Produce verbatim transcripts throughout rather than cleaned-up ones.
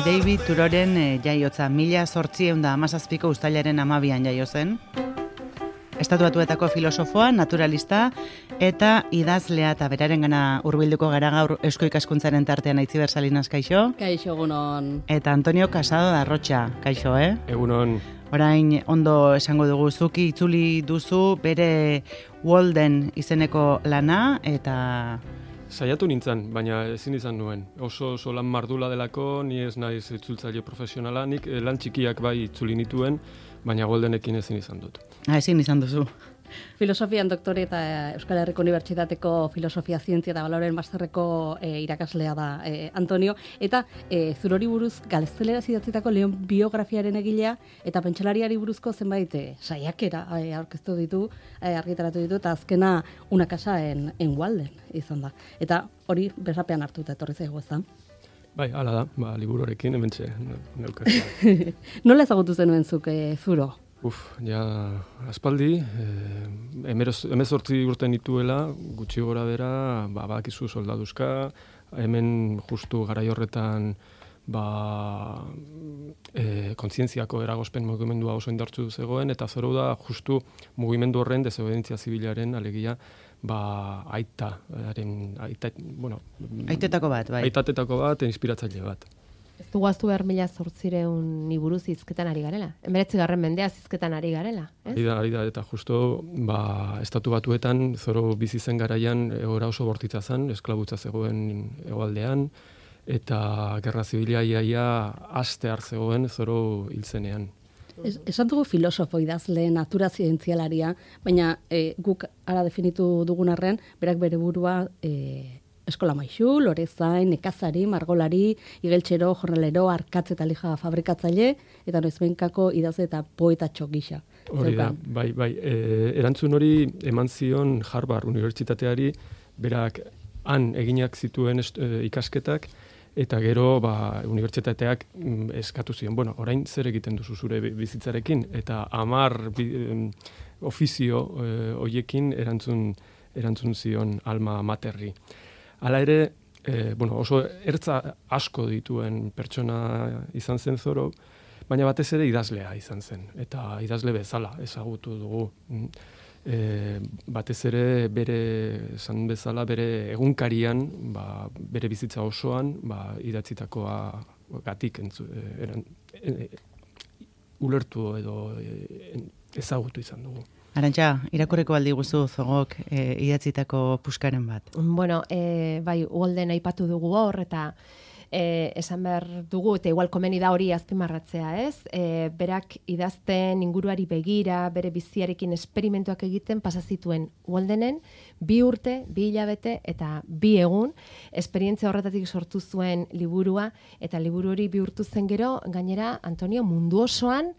Henry David Thoreauren e, jaiotza mila zortziehun da hamazazpiko uztailaren hamabian jaio zen. Estatu Batuetako filosofoa, naturalista eta idazlea, eta berarengana hurbilduko gara gaur Eusko Ikaskuntzaren tartean. Aitziber Salinas, kaixo? Kaixo, egunon. Eta Antonio Casado da Arrotxa, kaixo, eh? Egunon. Orain ondo esango dugu, zuki itzuli duzu bere Walden izeneko lana, eta... Saiatu nintzen, baina ezin izan nuen. Oso, oso lan mardula delako, ni ez naiz itzultzaile profesionala, nik lan txikiak bai itzuli nituen, baina Waldenekin ezin izan dut. Ah, ezin izan duzu. Filosofian doktore eta Euskal Herriko Unibertsitateko Filosofia Zientzia eta Baloren masterreko e, irakaslea da e, Antonio, eta e, zurori buruz gazteleraz idatzitako Leon biografiaren egilea eta pentsalariari buruzko zenbait e, saiakera e, aurkeztu ditu, e, argitaratu ditu, eta azkena Una casa en, en Walden izan da. Eta hori besapean hartuta etorri zaigu, ez da? Bai, hala da, ba, liburuarekin hementxe neuka. Nola ezagutu zenuen zuk e, zuro? Uf, ja, aspaldi, eh, emezortzi urte nituela, gutxi gora bera, ba, bakizu soldaduzka, hemen justu garai horretan, ba, e, kontzientziako eragozpen mugimendua oso indartsu zegoen, eta zoro da justu mugimendu horren desobedientzia zibilaren alegia, ba, aita, haren, aita, bueno... Aitetako bat, bai. Aitatetako bat, inspiratzaile bat. Ez du guaztu behar mila zortzireun buruz hizketan ari garela. Emeretzi garren mendea hizketan ari garela. Ez? Ari da, ari da, eta justo ba, Estatu Batuetan zoro bizi zen garaian egoera oso bortitza zen, esklabutza zegoen hegoaldean, eta gerra zibila iaia aste har zegoen zoro hiltzenean. Es, esan dugu filosofo idazle, natura zientzialaria, baina e, guk ara definitu dugun arren, berak bere burua... E, eskola maisu, lorezain, nekazari, margolari, igeltxero, jornalero, arkatz eta lija fabrikatzaile, eta noizbenkako idazle eta poetatxo gisa. Hori da, bai, bai. E, erantzun hori eman zion Harvard Unibertsitateari, berak han eginak zituen est, e, ikasketak, eta gero ba, unibertsitateak mm, eskatu zion, bueno, orain zer egiten duzu zure bizitzarekin, eta hamar bi, em, ofizio e, hoiekin erantzun, erantzun zion alma materri. Hala ere, e, bueno, oso ertza asko dituen pertsona izan zen zoro, baina batez ere idazlea izan zen, eta idazle bezala ezagutu dugu. E, batez ere bere, esan bezala, bere egunkarian, ba, bere bizitza osoan, ba, idatzitakoa gatik entzu, eran, e, e, ulertu edo e, ezagutu izan dugu. Arantxa, irakurreko aldi guzu zogok e, idatzitako puskaren bat. Bueno, e, bai, Walden aipatu dugu hor, eta e, esan behar dugu, eta igual komeni da hori azpimarratzea, ez? E, berak idazten inguruari begira, bere biziarekin esperimentuak egiten pasazituen Waldenen, bi urte, bi hilabete eta bi egun, esperientzia horretatik sortu zuen liburua, eta liburu hori bihurtu zen gero, gainera, Antonio, mundu osoan,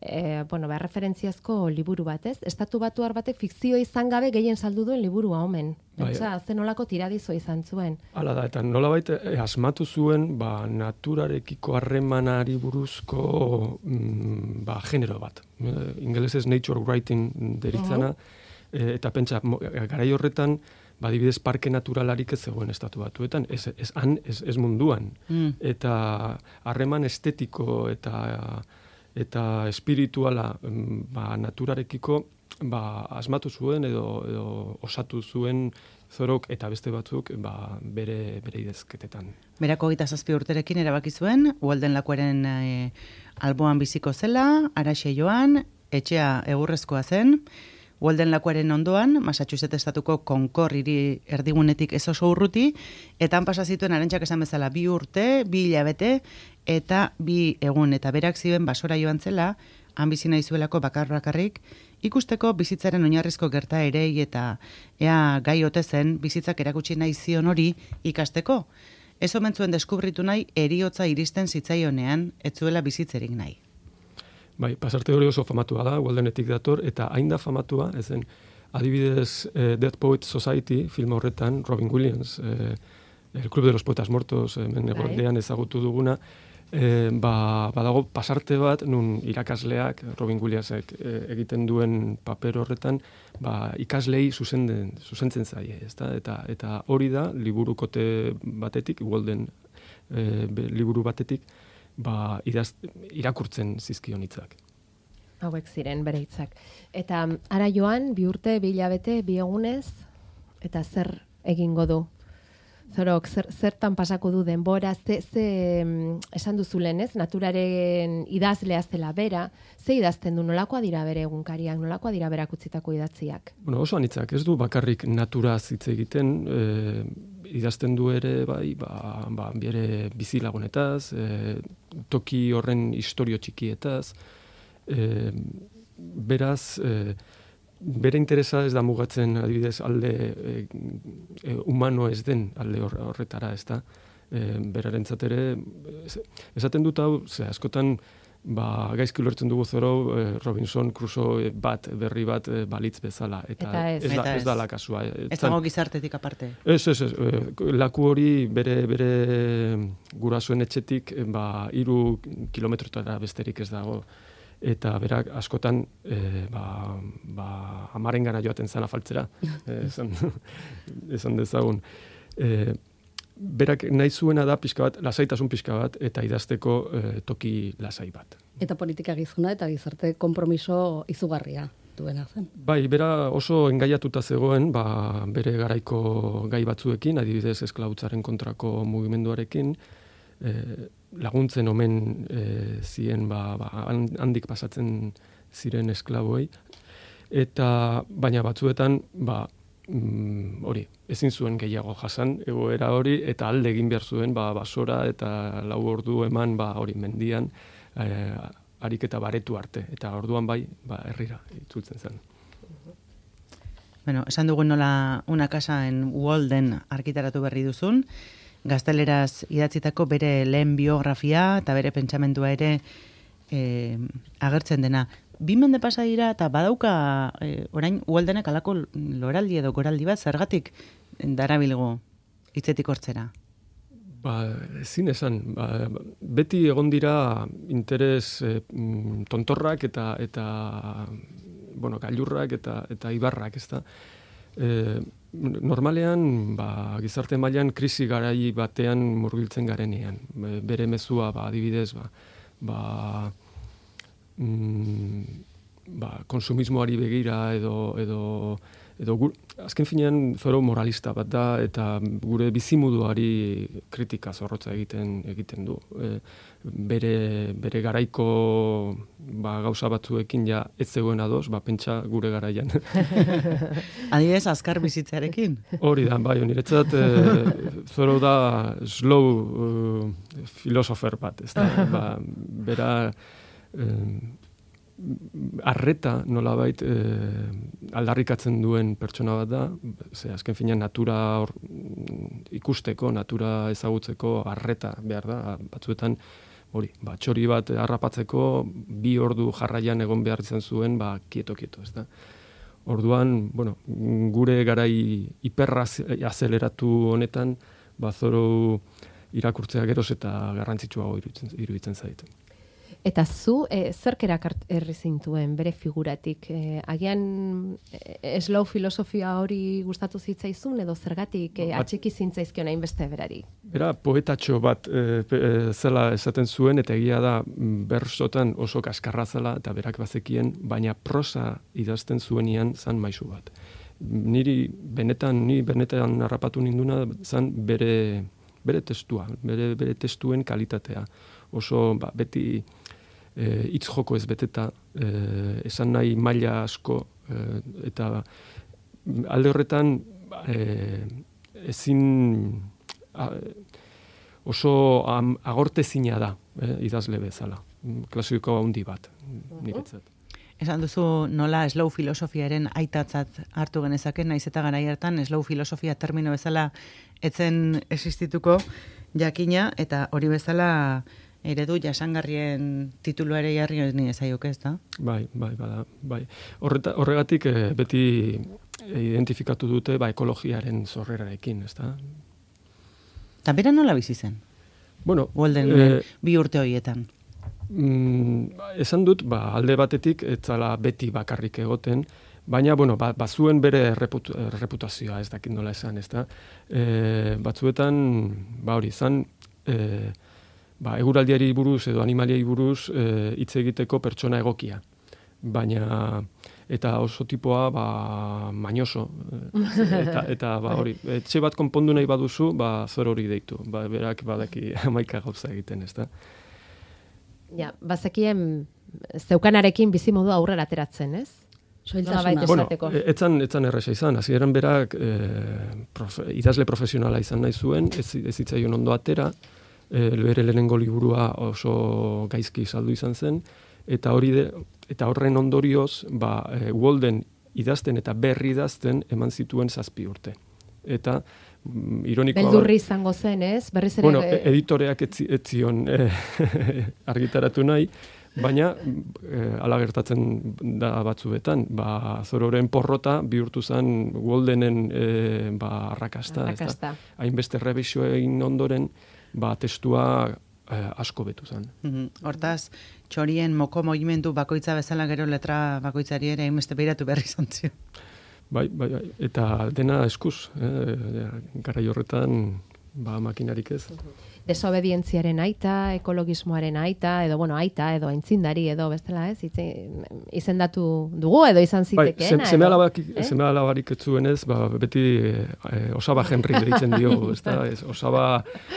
E, bueno, behar referentziazko liburu bat, ez? Estatu Batuar batek fikzio izan gabe gehien saldu duen liburua omen. Pentsa, bai, zen nolako tiradizo izan zuen. Hala da, eta nolabait e, asmatu zuen ba, naturarekiko harremanari buruzko mm, ba, genero bat. E, ingelesez nature writing deritzana, e, eta pentsa, garai horretan, badibidez parke naturalarik ez zegoen Estatu Batuetan, ez, ez, han, ez, ez munduan. Mm. Eta harreman estetiko eta... eta espirituala ba, naturarekiko ba, asmatu zuen edo, edo osatu zuen zorok eta beste batzuk ba, bere, bere idazketetan. Berako hogeita zazpi urterekin erabaki zuen, Walden lakuaren e, alboan biziko zela, Araxe joan, etxea egurrezkoa zen, Walden lakuaren ondoan, Massachusetts estatuko Concord hiri erdigunetik ez oso urruti, eta han pasa zituen Arantxak esan bezala bi urte, bi hilabete, eta bi egun, eta berak zioen basora joan zela, han bizi nahi zuelako bakar-bakarrik, ikusteko bizitzaren oinarrizko gertaerei eta ea gai ote zen bizitzak erakutsi nahi zion hori ikasteko. Ez omen zuen deskubritu nahi heriotza iristen zitzaionean, ez zuela bizitzerik nahi. Bai, pasarte hori oso famatua da, Waldenetik dator, eta hain da famatua, ezen, adibidez, eh, Dead Poets Society film horretan, Robin Williams, eh, El Club de los Poetas Muertos, hemen egoaldean ezagutu duguna, eh, ba, badago pasarte bat, nun irakasleak, Robin Williamsek eh, egiten duen paper horretan, ba, ikaslei zuzentzen, zuzentzen zaie, ezta? Eta, eta hori da, liburukote batetik, Walden eh, liburu batetik, ba, idaz, irakurtzen zizkion hitzak. Hauek ziren bere hitzak. Eta ara joan, bi urte, bi hilabete, bi egunez, eta zer egingo du? Zorok, zer, zertan pasako du denbora, ze, ze esan duzu lehen, ez? Naturaren idazlea zela bera, ze idazten du, nolakoa dira bere egunkariak, nolakoa dira berak utzitako idatziak? Bueno, oso anitzak, ez du bakarrik naturaz hitz egiten, e, idazten du ere, bai, ba, ba, bere bizilagunetaz, e, toki horren istorio txikietaz, e, beraz, e, bere interesa ez da mugatzen adibidez alde e, e, humano ez den alde horretara, ez da. E, berarentzat ere, esaten dut hau, ze askotan, ba, gaizki ulertzen dugu zoro e, Robinson Crusoe bat, berri bat e, balitz bezala. Eta, eta ez. ez, da, Eta ez da la kasua. Ez dago gizartetik aparte. Ez, ez, ez. E, laku hori bere, bere gurasoen etxetik, e, ba, hiru kilometrotara besterik ez dago. Eta berak askotan e, ba, ba, amaren gana joaten zan afaltzera, e, esan, esan dezagun. E, berak nahi zuena da pixka bat, lasaitasun pixka bat, eta idazteko e, toki lasai bat. Eta politika gizuna eta gizarte konpromiso izugarria duena zen. Bai, bera oso engaiatuta zegoen, ba, bere garaiko gai batzuekin, adibidez esklautzaren kontrako mugimenduarekin, e, laguntzen omen e, ziren ba, ba, handik pasatzen ziren esklaboei, eta baina batzuetan ba, mm, hori, ezin zuen gehiago jasan egoera hori, eta alde egin behar zuen ba, basora eta lau ordu eman ba, hori mendian e, ariketa baretu arte, eta orduan bai ba, herrira itzultzen zen. Bueno, esan dugun nola Una casa en Walden argitaratu berri duzun, gazteleraz idatzitako bere lehen biografia eta bere pentsamendua ere e, agertzen dena. Bi mende pasa dira eta badauka e, orain Waldenek alako loraldi edo goraldi bat zergatik darabilgo hitzetik hortzera. Ba, ezin esan, ba, beti egon dira interes e, tontorrak eta eta bueno, gailurrak eta eta ibarrak, ezta. E, normalean, ba, gizarte mailan krisi garai batean murgiltzen garenean. Bere mezua, ba, adibidez, ba, ba, mm, ba, konsumismoari begira edo, edo, edo gu, azken finean zoro moralista bat da, eta gure bizimuduari kritika zorrotza egiten egiten du. E, bere, bere garaiko ba, gauza batzuekin ja ez zegoen ados, ba, pentsa gure garaian. Adibidez, azkar bizitzarekin. Hori da, bai, niretzat e, zoro da slow uh, filosofer bat, ez da, ba, bera e, arreta nolabait e, aldarrikatzen duen pertsona bat da, ze azken finean natura or, ikusteko, natura ezagutzeko arreta behar da, batzuetan hori, ba, txori bat harrapatzeko bi ordu jarraian egon behar izan zuen, ba, kieto-kieto, ez da. Orduan, bueno, gure garai hiperrazeleratu honetan, ba, zoro irakurtzea geroz eta garrantzitsuago iruditzen, iruditzen zait. Eta zu, e, zerk erakarri zintuen bere figuratik? E, agian e, slow filosofia hori gustatu zitzaizun, edo zergatik e, atxiki zintzaizkion hainbeste berari? Bera, poetatxo bat e, e, zela esaten zuen, eta egia da bersotan oso kaskarra zela, eta berak bazekien, baina prosa idazten zuenian zan maisu bat. Niri benetan, ni benetan harrapatu ninduna zan bere, bere testua, bere, bere testuen kalitatea. Oso ba, beti E, hitz joko ez beteta, e, esan nahi maila asko, e, eta alde horretan e, ezin a, oso am, agortezina da, e, idazle bezala, klasiko handi bat, niretzat. Esan duzu nola slow filosofiaren aitatzat hartu genezake, naiz eta garai hartan slow filosofia termino bezala etzen existituko jakina, eta hori bezala eredu jasangarrien titulu ere jarri ni ezaioke, ez da? Bai, bai, bada, bai. Horreta, horregatik e, beti identifikatu dute ba, ekologiaren zorrerarekin, ez da? Eta bera nola bizi zen? Bueno, Walden e, bi urte horietan. Mm, esan dut, ba, alde batetik, ez zala beti bakarrik egoten, baina, bueno, ba, bazuen bere reput, reputazioa, ez dakit nola esan, ez da? E, batzuetan, ba hori, zan, e, ba, eguraldiari buruz edo animaliai buruz hitz egiteko pertsona egokia. Baina eta oso tipoa ba mañoso eta eta ba hori etxe bat konpondu nahi baduzu ba zor hori deitu ba berak badaki hamaika gauza egiten, ezta. Ja, bazekien zeukanarekin bizimodu aurrera ateratzen, ez? Soiltasuna. Bueno, etzan etzan erresa izan. Hasieran berak eh, profe, idazle profesionala izan nahi zuen, ez ez zitzaion ondo atera. Eh, bere lehenengo liburua oso gaizki saldu izan zen eta hori de, eta horren ondorioz ba e, Walden idazten eta berri idazten eman zituen zazpi urte. Eta mm, ironikoa beldurri izango zen, ez? Berriz ere bueno, editoreak ez zion eh, argitaratu nahi, baina eh, ala gertatzen da batzuetan, ba Zororen porrota bihurtu zen Waldenen eh, ba arrakasta, arrakasta. Hainbeste errebisio egin ondoren, ba testua eh, asko betu zen. Mm-hmm. Hortaz, txorien moko mogimendu bakoitza bezala gero letra bakoitzari ere hainbeste behiratu berri izan zion. Bai, bai, bai, eta dena eskuz, eh, garai horretan ba makinarik ez. Desobedientziaren aita, ekologismoaren aita, edo bueno, aita, edo aintzindari, edo bestela ez, itzi, izendatu dugu, edo izan zitekeena. Bai, seme alabak, eh? seme alabarik etzuenez, ba, beti eh, osaba Henry deitzen diogu, ez da, ez, osaba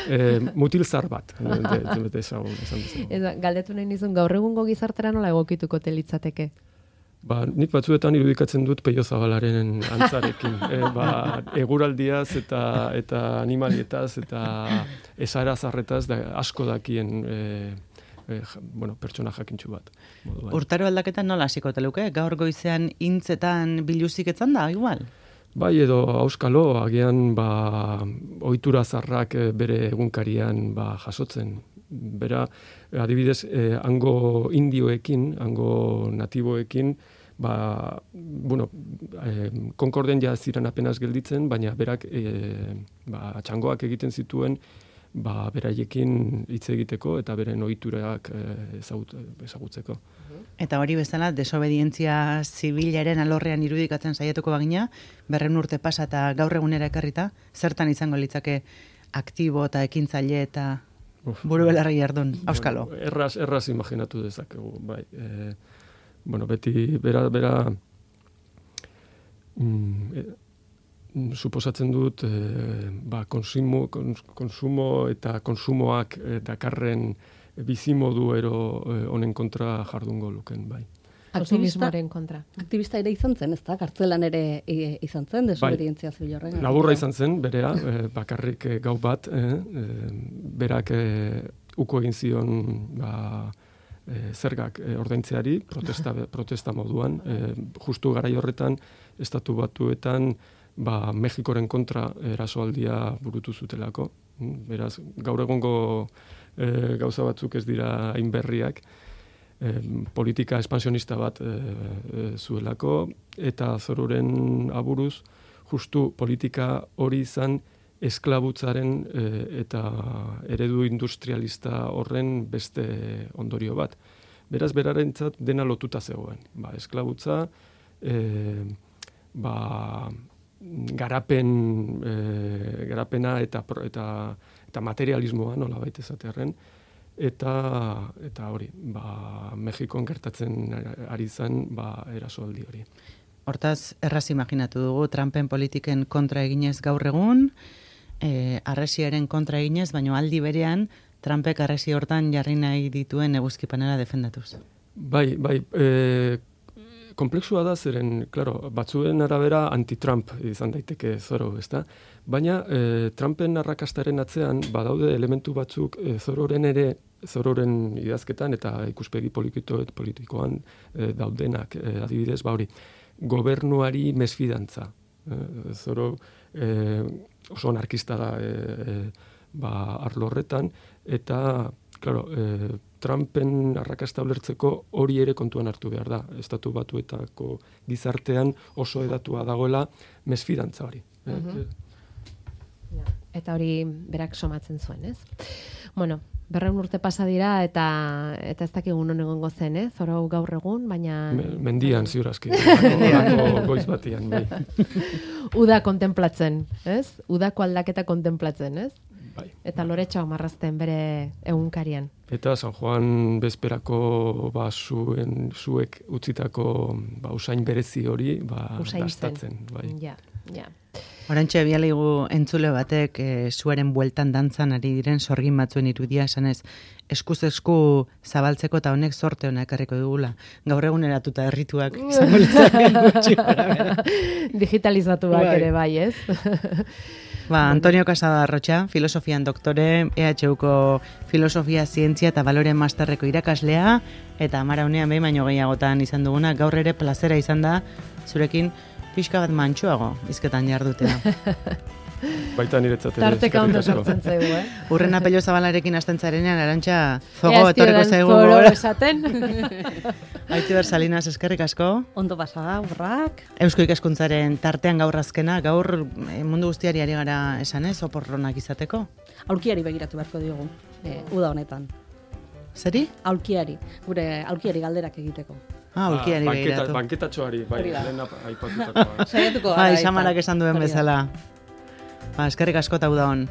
eh, mutilzar bat, bete esan bezala. Galdetu nahi nizun, gaur egungo gizartera nola egokituko telitzateke? Ba, nik batzuetan irudikatzen dut Peio Zabalaren antzarekin. E, ba, eguraldiaz eta eta animalietaz eta esarazarretaz da asko dakien e, e, bueno, pertsona jakintsu bat. Moduan. Urtaro aldaketan nola hasiko teluke? Gaur goizean intzetan biluzik etzan da, igual? Bai, edo auskalo, agian ba, ohitura zarrak bere egunkarian ba, jasotzen. Bera, adibidez, eh, hango indioekin, hango natiboekin, ba, bueno, eh, Konkorden ja ziren apenas gelditzen, baina berak eh, ba, txangoak egiten zituen, ba, beraiekin hitz egiteko eta beren ohiturak eh, ezagut, ezagutzeko. Eta hori bezala, desobedientzia zibilaren alorrean irudikatzen saiatuko bagina, berren urte pasa eta gaur egunera ekarrita, zertan izango litzake aktibo eta ekintzaile eta buru belarri jardun, auskalo. Bueno, erraz, erraz imaginatu dezakegu, bai. E, bueno, beti, bera, bera, mm, e, suposatzen dut, e, ba, konsumo, kons, konsumo eta konsumoak e, dakarren bizimodu ero e, honen kontra jardungo luken, bai. Aktivismoaren kontra. Aktivista ere izan zen, ez da? Kartzelan ere e, izan zen, desobedientzia bai. Zibil horren. Laburra izan zen, berea, e, bakarrik e, gau bat, e, e, berak e, uko egin zion ba, e, zergak e, ordaintzeari, protesta, protesta moduan, e, justu garai horretan, estatu batuetan, ba, Mexikoren kontra erasoaldia burutu zutelako. Beraz, gaur egongo e, gauza batzuk ez dira hain berriak, E, politika espansionista bat e, e, zuelako, eta Zororen aburuz, justu politika hori izan esklabutzaren e, eta eredu industrialista horren beste ondorio bat. Beraz, berarentzat dena lotuta zegoen. Ba, esklabutza, e, ba, garapen, e, garapena eta, eta, eta materialismoa, nola baita esatearren, Eta, eta hori, ba, Mexikon gertatzen ari zen ba, erasoaldi hori. Hortaz, erraz imaginatu dugu, Trumpen politiken kontra eginez gaur egun, e, arresiaren kontra eginez, baina aldi berean, Trumpek arresi hortan jarri nahi dituen eguzkipanera defendatuz. Bai, bai, e, komplexua da zeren, claro, batzuen arabera anti-Trump izan daiteke Zoro, ezta? Baina e, Trumpen arrakastaren atzean badaude elementu batzuk e, Zororen ere, Zororen idazketan eta ikuspegi politikoet politikoan e, daudenak, e, adibidez, ba hori, gobernuari mesfidantza. E, Zoro e, oso anarkista da e, e, ba, arlo horretan, eta, claro, e, Trumpen arrakasta ulertzeko hori ere kontuan hartu behar da. Estatu Batuetako gizartean oso edatua dagoela mesfidantza hori. Uh-huh. Ja, eta hori berak somatzen zuen, ez? Bueno, berreun urte pasa dira eta eta ez dakigun non egongo zen, eh? Zoro gaur egun, baina... Mendian, ziur aski. Goiz batian, bai. Uda kontemplatzen, ez? Udako aldaketa kontemplatzen, ez? Bai. Eta loretxoak marrazten bere egunkarian. Eta San Juan bezperako ba, zuen, zuek utzitako ba, usain berezi hori ba, gastatzen. Bai. Ja, ja. Orantxe bialigu entzule batek e, zuaren bueltan dantzan ari diren sorgin batzuen irudia esanez eskuz esku zabaltzeko eta honek sorte honak ekarriko dugula. Gaur eguneratuta errituak izango litzakeen gutxi gara. Digitalizatuak ere bai, ez? Ba, Antonio Casada Arrotxa, filosofian doktore, E H Uko filosofia, zientzia eta balore masterreko irakaslea, eta amara unean behin baino gehiagotan izan duguna, gaur ere plazera izan da, zurekin pixka bat mantxoago izketan jardutea. Baita niretzat ere. Tarteka ondo sartzen zaigu, eh? Urrena pello zabalarekin hasten zarenean, Arantxa, zogo etorreko zaigu Foro gora. esaten. Aitziber Salinas, eskerrik asko. Ondo pasada, urrak. Eusko ikaskuntzaren tartean gaur azkena, gaur eh, mundu guztiari ari gara esan ez, oporronak izateko. Aulkiari begiratu beharko diogu, e, uda honetan. Zeri? Aulkiari, gure aulkiari galderak egiteko. Ah, aulkiari Ah, begiratu. Banketatxoari, bai, Hori da. lehena aipatutakoa. Saiatuko gara. Bai, izan. Samarak esan duen Hori da. bezala. Ba, eskerrik asko eta uda hon.